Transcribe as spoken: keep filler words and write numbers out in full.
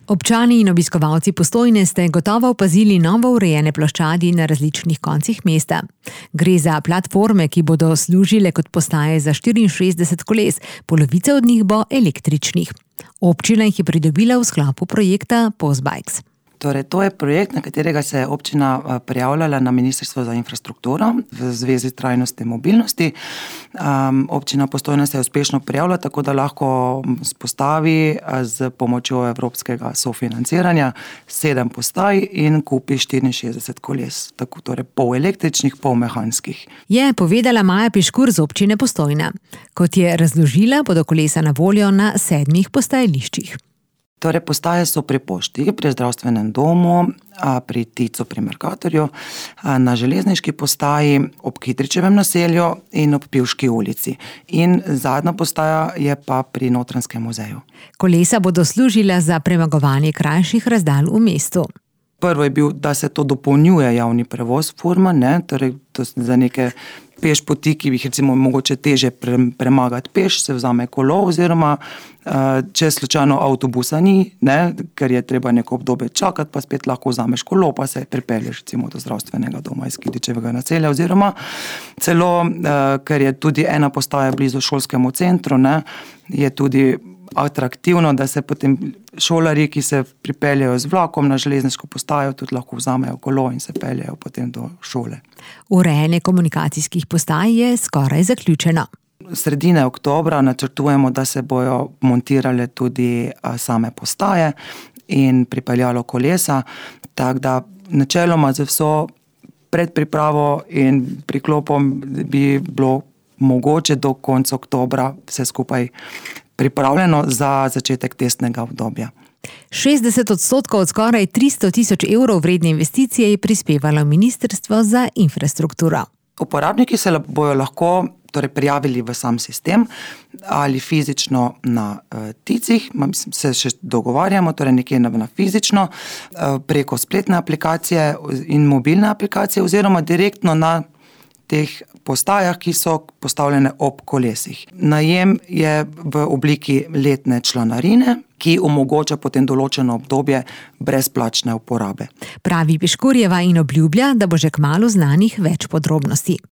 Občani in obiskovalci Postojne ste gotovo opazili novo urejene ploščadi na različnih koncih mesta. Gre za platforme, ki bodo služile kot postaje za štiriinšestdeset koles, polovica od njih bo električnih. Občina jih je pridobila v sklopu projekta Postbikes. Torej, to je projekt, na katerega se je občina prijavljala na Ministrstvo za infrastrukturo v zvezi s trajnostjo mobilnosti. Um, občina Postojna se je uspešno prijavila, tako da lahko spostavi z pomočjo evropskega sofinanciranja sedem postaj in kupi štiriinšestdeset koles, tako torej pol električnih, pol mehanskih. Je povedala Maja Piškur z občine Postojna. Kot je razložila, bodo kolesa na voljo na sedmih postajališčih. Torej, postaje so pri pošti, pri zdravstvenem domu, pri Ticu, pri Mercatorju, na železniški postaji, ob Kidričevem naselju in ob Pivški ulici. In zadnja postaja je pa pri Notranjskem muzeju. Kolesa bodo služila za premagovanje krajših razdalj v mestu. Prvo je bil, da se to dopolnjuje javni prevoz forma, ne, torej to za neke peš poti, ki bi jih recimo mogoče teže premagati peš, se vzame kolo, oziroma če slučajno avtobusa ni, ne, ker je treba neko obdobje čakati, pa spet lahko vzameš kolo, pa se pripelješ recimo do zdravstvenega doma iz Kidričevega naselja, oziroma celo, ker je tudi ena postaja blizu šolskemu centru, ne, je tudi atraktivno, da se potem šolarji, ki se pripeljejo z vlakom na železniško postajo, tudi lahko vzamejo kolo in se peljejo potem do šole. Urejanje komunikacijskih postaj je skoraj zaključeno. Sredine oktobra načrtujemo, da se bojo montirale tudi same postaje in pripeljalo kolesa, tako da načeloma z vso predpripravo in priklopom bi bilo mogoče do konca oktobra vse skupaj pripravljeno za začetek testnega obdobja. šestdeset odstotkov od skoraj tristo tisoč evrov vredne investicije je prispevalo Ministrstvo za infrastrukturo. Uporabniki se bojo lahko torej prijavili v sam sistem ali fizično na uh, Ticih, se še dogovarjamo, torej nekje na, na fizično, uh, preko spletne aplikacije in mobilne aplikacije, oziroma direktno na teh postajah, ki so postavljene ob kolesih. Najem je v obliki letne članarine, ki omogoča potem določeno obdobje brezplačne uporabe. Pravi Piškurjeva in obljublja, da bo že kmalu znanih več podrobnosti.